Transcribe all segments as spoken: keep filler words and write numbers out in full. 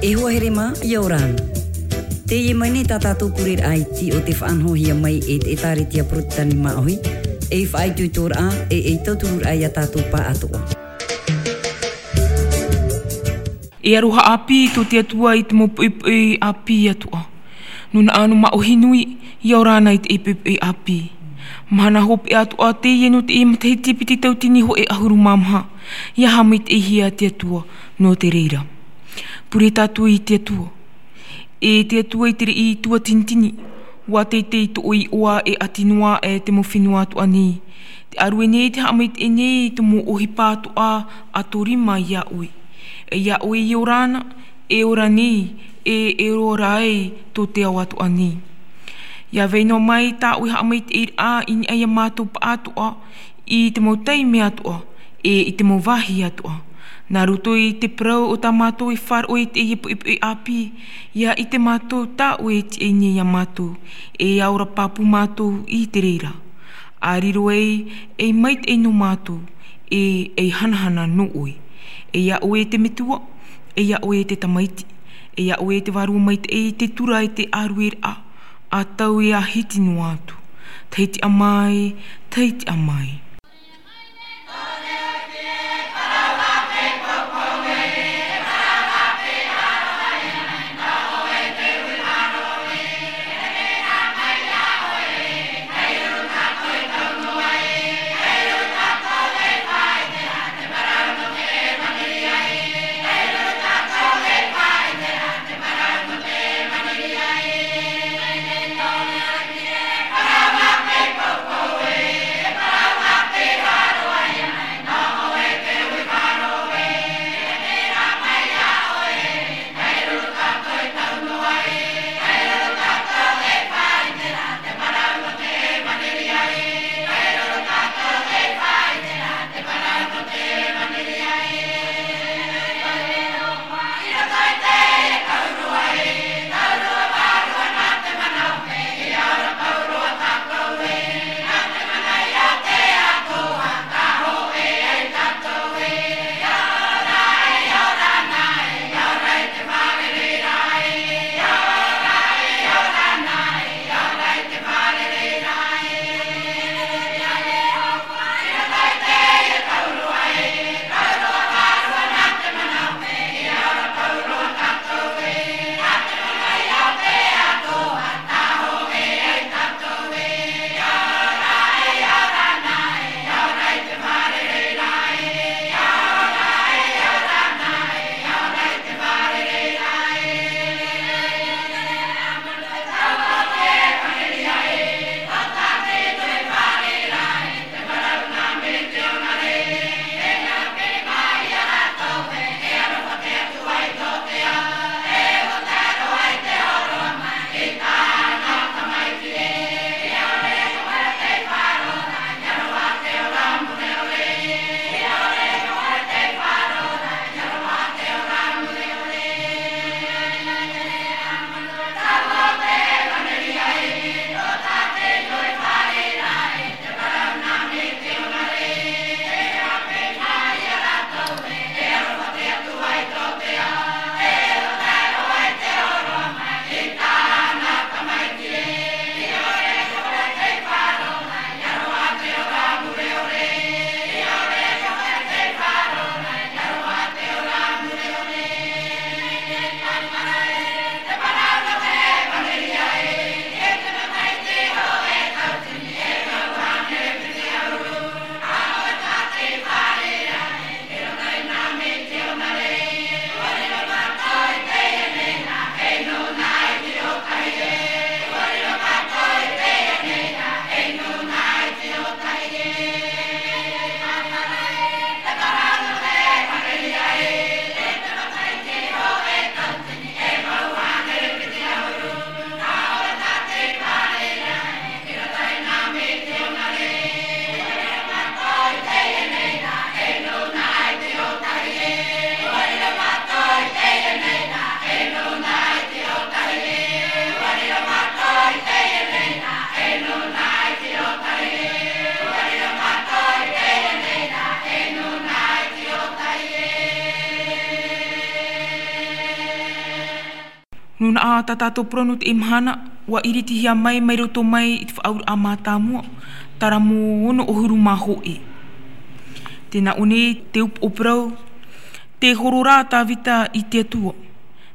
E hoa here mā, ʻia ora na. Teie mai nei tā tātou pureraʻa iti o te faʻanahohia mai e te ʻĒtārētia Porotetani Māʻohi, ei faʻaitoitoraʻa, e ei tautururaʻa ia tātou pāʻatoʻa. E aroha ʻāpī tō te Atua i te mau poʻipoʻi ʻāpī atoʻa. Nō Naʻa Nō Māʻohi nui, ʻia ora na i te poʻipoʻi ʻāpī. Mahana hopeʻa atoʻa teie nō te matahiti piti tauatini hōʻē ʻahuru mā maha, ʻia haʻamaitaʻihia te Atua nō te reira. Pure tātou i te Atua. E te Atua i te reira tuatinitini, ʻua teitei tō ʻoe iʻoa e ʻati noa aʻe te mau fenua atoʻa nei. Tē ʻārue nei, tē haʻamaitaʻi nei i te mau ʻohipa atoʻa a tō rima ia ʻoe. E ia ʻoe i ora na, e ora nei, e, e ora ai tō te ao atoʻa nei. ʻIa vai noa mai tā ʻoe haʻamaitaʻiraʻa i niʻa ia mātou pāʻatoʻa, i te mau taime atoʻa, e i te mau vāhi atoʻa. Nā roto i te parau o tā mātou e faʻaroʻo i teie poʻipoʻi ʻāpī, ʻia ʻite mātou tā ʻoe e tiʻa nei ia mātou, e ʻia ora pāpū mātou i te reira. ʻA riro ai, ei maitaʻi nō mātou, e ei hanahana nō ʻoe. E ia ʻoe te Metua, e ia ʻoe te Tamaiti, e ia ʻoe te Vārua Maitaʻi, te tura e te ʻārueraʻa, ʻa tau e ʻa hiti noa atu. Tahiti ʻa mai, Tahiti ʻa mai. Nūnaʻa tā tātou parau nō teie mahana, ua iritihia mai mai roto mai i te faʻaauraʻa mātāmua, taramo ono ʻahuru mā hōʻē. Tē nā ʻō nei te upoʻo parau, tē horo ra Tāvita i te Atua.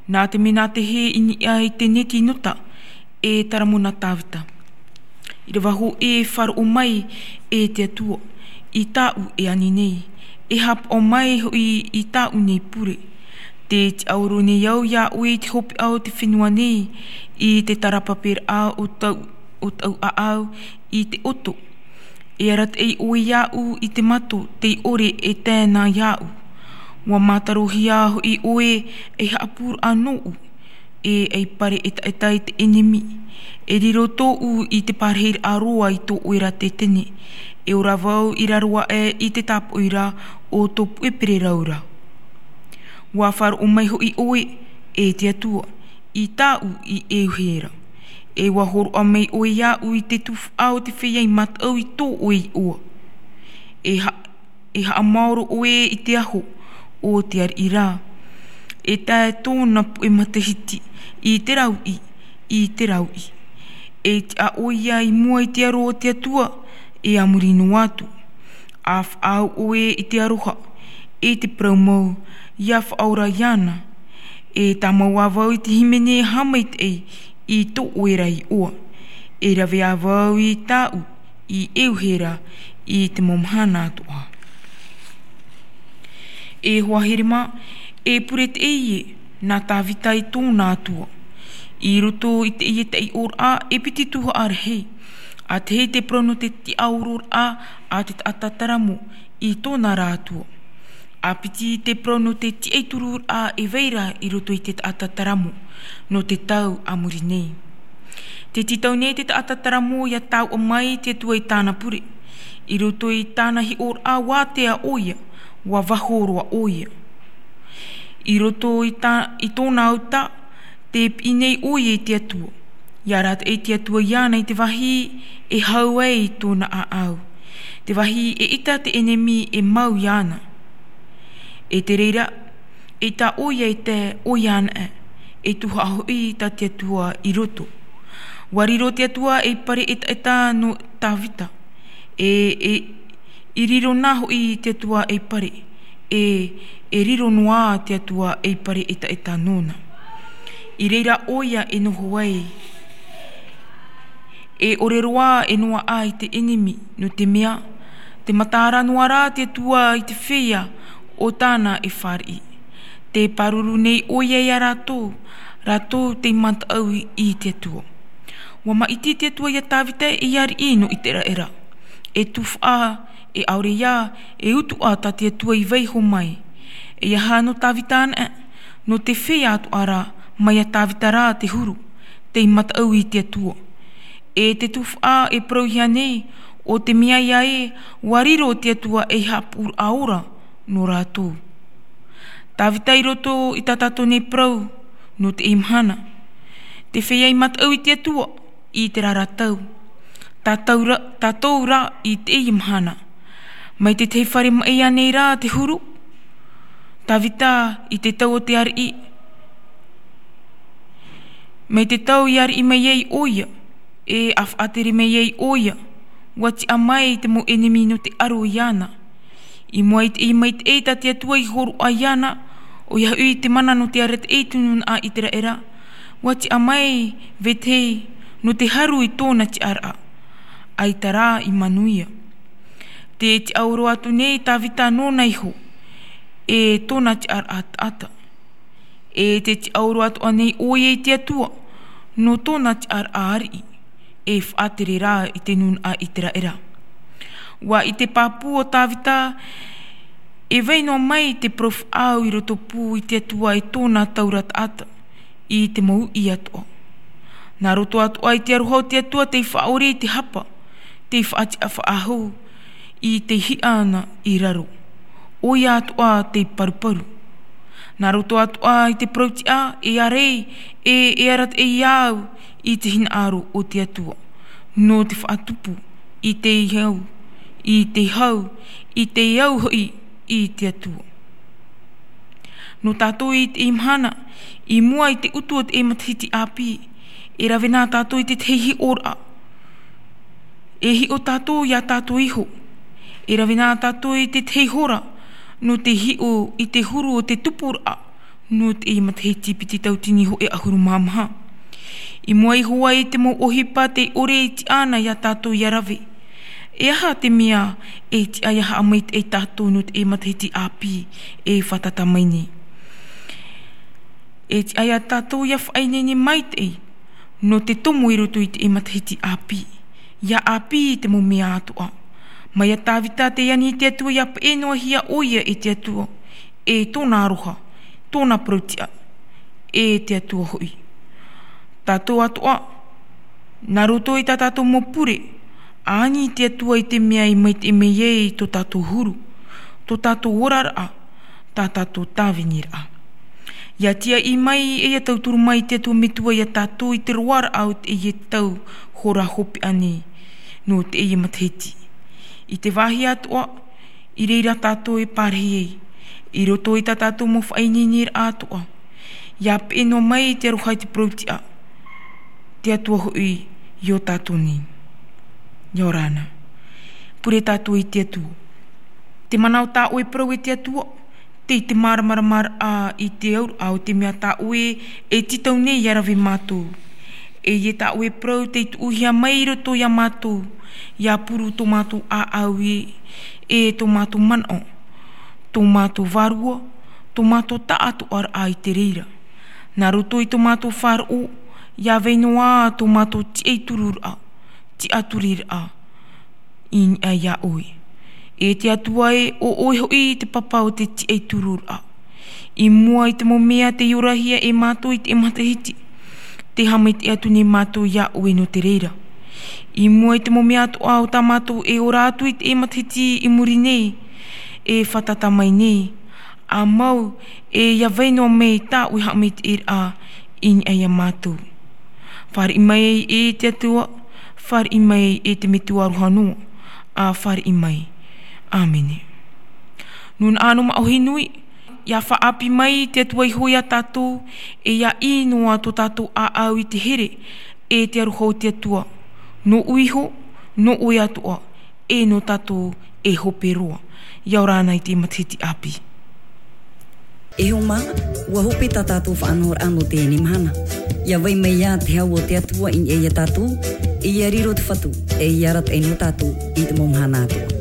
Nā te mea nā te hē i niʻa i te neti nota, e taramo na Tāvita. ʻIrava hōʻē, faʻaroʻo mai, e te Atua, i tāʻu e ani nei, e haʻapaʻo mai hoʻi i tāʻu nei pure. Tē tiʻaoro nei au iā ʻoe i te hopeʻa o te fenua nei, i te tarapaperaʻa o tau, o tau ʻāʻau i te ʻoto. E arataʻi ʻoe iāʻu i te mato tei ʻore e tae na iāʻu. Ua mātarohia hoʻi ʻoe ei haʻapūraʻa nōʻu, e ei pare ʻetaʻeta i te ʻenemi. E riro tōʻu i te parahiraʻa roa i tō ʻoe ra tetene. E ora vau i raro aʻe i te tāpoʻi ra o tō puʻe pererau ra. Ua faʻaroʻo mai hoʻi ʻoe, e te Atua, i tāʻu i ʻeuhe ra. E ua hōroʻa mai ʻoe iāʻu i te tuhaʻa o te feiā i mataʻu i tō ʻoe iʻoa. E ha-, e haʻamaoro ʻoe i te aho o te ariʻi ra. E tae tōna puʻe matahiti i te rauʻi, i te rauʻi. E tiʻa ʻoia i mua i te aro o te Atua, e a muri noa atu. A faʻaau ʻoe i te aroha, e te parau mau, ʻia faʻaora iāna. E tāmau ā vau i te hīmene haʻamaitaʻi i tō ʻoe ra iʻoa. E rave ā vau i tāʻu i ʻeuhe ra i te mau mahana atoʻa. E hoa here mā, e pure teie nā Tāvita i tōna Atua. I roto i teie taiʻoraʻa e piti tuhaʻa rahi. A tahi te parau nō te tiʻaororaʻa a te taʻata taramo i tōna ra Atua. A piti te parau nō te tiʻatururaʻa e vai ra i roto i te taʻata taramo nō te tau a muri nei. Tē tītau nei te taʻata taramo ʻia taoʻa mai te Atua i tāna pure. I roto i tāna hiʻoraʻa ua ātea ʻoia, ua vāho roa ʻoia. I roto i tā-, i tōna uta, tē piʻi nei ʻoia i te Atua. ʻIa arataʻi te Atua iāna i te vāhi e hau ai tōna ʻāʻau. Te vāhi e ʻita te ʻenemi e mau iāna. E te reira, eʻita ʻoia e tae ʻoia anaʻe, e tuhaʻa hoʻi tā te Atua i roto. Ua riro te Atua ei pare ʻetaʻeta nō Tāvita. E, e, i riro na hoʻi te Atua ei pare. E, e riro noa te Atua ei pare ʻetaʻeta nōna. I reira ʻoia e noho ai. E ʻore roa e noaʻa i te ʻenemi, nō te mea, tē mataʻu noa ra te Atua i te feiā o tāna e fāriʻi. Tē pāruru nei ʻoia iā rātou, rātou tei mataʻu i te Atua. Ua māʻiti te Atua iā Tāvita ei ariʻi nō Iteraʻera. E tuhaʻa, e ʻaore ïa, e utuʻa tā te Atua i vaiiho mai. E aha nō Tāvita anaʻe, nō te feiā atoʻa ra, mai iā Tāvita ra te huru, tei mataʻu i te Atua. E te tuhaʻa e parauhia nei, ʻo te mea ïa ē, ua riro te Atua ei haʻapūraʻa ora nō rātou. Tāvita i roto i tā tātou nei parau, nō teie mahana. Te feiā i mataʻu i te Atua, i terā ra tau. Tātou ra, tātou ra i teie mahana. Mai te tahi fare maʻi ānei rā te huru. Tāvita i te tau o te ariʻi. Mai te tau i ariʻi mai ai ʻoia, e a faʻatere mai ai ʻoia, ua tiʻa mai te mau ʻenemi nō te aro iāna. I mua i te, i maitaʻi tā te Atua i hōroʻa iāna, ʻoia hoʻi te mana nō te arataʻi i te nūnaʻa Iteraʻera, ua tiʻa mai vetahi nō te haru i tōna tiʻaraʻa, ʻaita rā i manuia. Tē tiʻaoro atu nei Tāvita nōna iho, e tōna tiʻaraʻa taʻata. E tē tiʻaoro atoʻa nei ʻoia i te Atua, nō tōna tiʻaraʻa ariʻi, e faʻatere rā i te nūnaʻa Iteraʻera. Ua ʻite pāpū ʻo Tāvita, e vai noa mai te parau faʻaau i roto pū i te Atua e tōna taura taʻata, i te mau uʻi atoʻa. Nā roto atoʻa i te aroha o te Atua tei faʻaʻore i te hapa, tei faʻatiʻa faʻahou, i te hiʻa na i raro. ʻOia atoʻa tei paruparu. Nā roto atoʻa i te parau tiʻa, e ʻāreʻa, e, e arataʻi au i te hinaʻaro o te Atua. Nō te faʻatupu, i te hau, i te hau, i te au hoʻi i te Atua. Nō tātou i teie mahana, i mua i te utu o teie matahiti ʻāpī, e rave na tātou i te tahi hiʻoraʻa. E hiʻo tātou iā tātou iho. E rave na tātou i te tahi hora, nō te hiʻo i te huru o te tupuraʻa, nō teie matahiti piti tauatini hōʻē ʻahuru mā maha. I mua iho ā i te mau ʻohipa tei ʻore e tiʻa ana iā tātou ʻia rave. E aha te mea e tiʻa ʻia haʻamaitaʻi tātou nō teie matahiti ʻāpī e fātata mai nei? E tiʻa iā tātou ʻia faʻaineine maitaʻi nō te tomo i roto i teie matahiti ʻāpī. ʻIa ʻāpī i te mau mea atoʻa. Mai iā Tāvita tei ani i te Atua ʻia peʻe noa hia ʻoia e te Atua, e tōna aroha, tōna parau-tiʻa, e te Atua hoʻi. Tātou atoʻa, nā roto i tā tātou mau pure, ani i te Atua i te mea i maitaʻi mai ai tō tātou huru, tō tātou oraraʻa, tā tātou tāviniraʻa. ʻIa tiaʻi mai, e ʻia tauturu mai te Atua Metua iā tātou i te roaraʻa o teie tau hora hopeʻa nei, nō teie matahiti. I te vāhi atoʻa, i reira tātou e pārahi ai, i roto i tā tātou mau faʻaineineraʻa atoʻa. ʻIa peʻe noa mai te aroha i te parau-tiʻa, te Atua hoʻi i ō tātou nei. ʻIa ora na. Pure tātou i te Atua. Te mana o tā ʻoe parau e te Atua, tei te māramaramaraʻa i te auraʻa o te mea tā ʻoe e tītau nei ʻia rave mātou. E ʻia tā ʻoe parau tei tuʻuhia mai i roto iā mātou, ʻia puru tō mātou ʻāʻau i, e tō mātou manaʻo, tō mātou vārua, tō mātou taʻatoʻaraʻa i te reira. Nā roto i tō mātou faʻaroʻo, ʻia vai noa tō mātou tiʻaturiraʻa, tiʻaturiraʻa, i niʻa iā ʻoe. E te Atua e, ʻo ʻoe hoʻi te papa o te tiʻaturiraʻa. I mua i te mau mea tei orahia e mātou i teie matahiti, tē haʻamaitaʻi atu nei mātou iā ʻoe nō te reira. I mua i te mau mea atoʻa o tā mātou e ora atu i teie matahiti i muri nei, e fātata mai nei, ʻa mau, e ʻia vai noa mai tā ʻoe haʻamaitaʻiraʻa i niʻa iā mātou. Fāriʻi mai e te Atua, fāriʻi mai e te Metua aroha noa, ʻa fāriʻi mai. ʻĀmene. Nūnaʻa nō māʻohi nui, ʻia faʻaʻāpī mai te Atua iho iā tātou, e ʻia ʻī noa tō tātou ʻāʻau i te here, e te aroha o te Atua, nōʻu iho, nō ʻoe atoʻa, e nō tātou e hope roa. ʻIa ora na i te matahiti ʻāpī. E hoa mā, ʻua hope tā tātou faʻanahoraʻa nō teie mahana. ʻIa vai mai ā te hau o te Atua i niʻa iā tātou, e ʻia riro te Fatu, e ʻia arataʻi nō tātou i te mau mahana atoʻa.